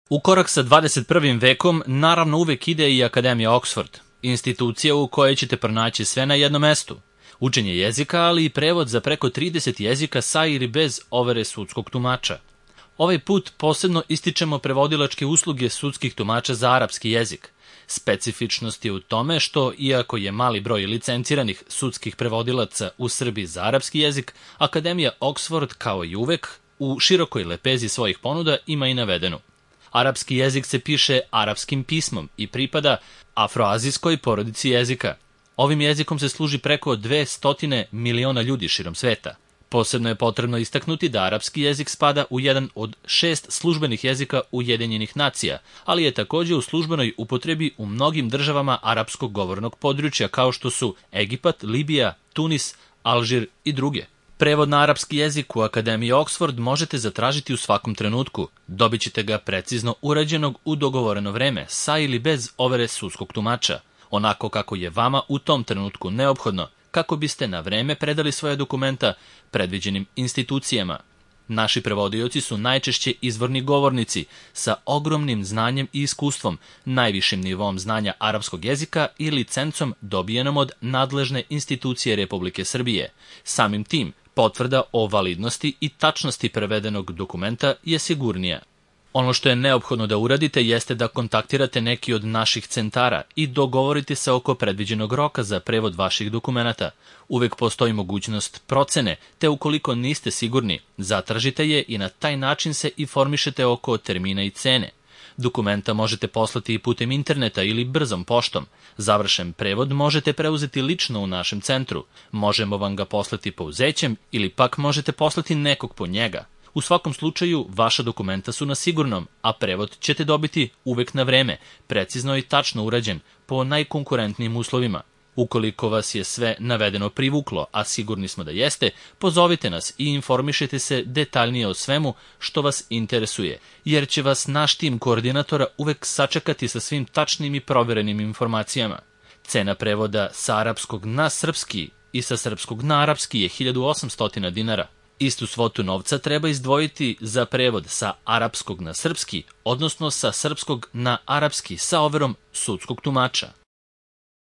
U korak sa 21. vekom naravno uvek ide i Akademija Oxford, institucija u kojoj ćete pronaći sve na jednom mestu. Učenje jezika, ali i prevod za preko 30 jezika sa ili bez overe sudskog tumača. Ovaj put posebno ističemo prevodilačke usluge sudskih tumača za arapski jezik. Specifičnost je u tome što, iako je mali broj licenciranih sudskih prevodilaca u Srbiji za arapski jezik, Akademija Oxford, kao i uvek, u širokoj lepezi svojih ponuda ima i navedenu. Arapski jezik se piše arapskim pismom i pripada afroazijskoj porodici jezika. Ovim jezikom se služi preko 200 miliona ljudi širom sveta. Posebno je potrebno istaknuti da arapski jezik spada u jedan od 6 službenih jezika Ujedinjenih nacija, ali je takođe u službenoj upotrebi u mnogim državama arapskog govornog područja kao što su Egipat, Libija, Tunis, Alžir i druge. Prevod na arapski jezik u Akademiji Oxford možete zatražiti u svakom trenutku. Dobit ćete ga precizno urađenog u dogovoreno vreme, sa ili bez overe sudskog tumača, onako kako je vama u tom trenutku neophodno, kako biste na vreme predali svoje dokumenta predviđenim institucijama. Naši prevodioci su najčešće izvorni govornici sa ogromnim znanjem i iskustvom, najvišim nivom znanja arapskog jezika i licencom dobijenom od nadležne institucije Republike Srbije. Samim tim, potvrda o validnosti i tačnosti prevedenog dokumenta je sigurnija. Ono što je neophodno da uradite jeste da kontaktirate neki od naših centara i dogovorite se oko predviđenog roka za prevod vaših dokumenata. Uvek postoji mogućnost procene, te ukoliko niste sigurni, zatražite je i na taj način se informišete oko termina i cene. Dokumenta možete poslati i putem interneta ili brzom poštom. Završen prevod možete preuzeti lično u našem centru. Možemo vam ga poslati pouzećem ili pak možete poslati nekog po njega. U svakom slučaju, vaša dokumenta su na sigurnom, a prevod ćete dobiti uvek na vreme, precizno i tačno urađen, po najkonkurentnijim uslovima. Ukoliko vas je sve navedeno privuklo, a sigurni smo da jeste, pozovite nas i informišite se detaljnije o svemu što vas interesuje, jer će vas naš tim koordinatora uvek sačekati sa svim tačnim i proverenim informacijama. Cena prevoda sa arapskog na srpski i sa srpskog na arapski je 1800 dinara. Istu svotu novca treba izdvojiti za prevod sa arapskog na srpski, odnosno sa srpskog na arapski sa overom sudskog tumača.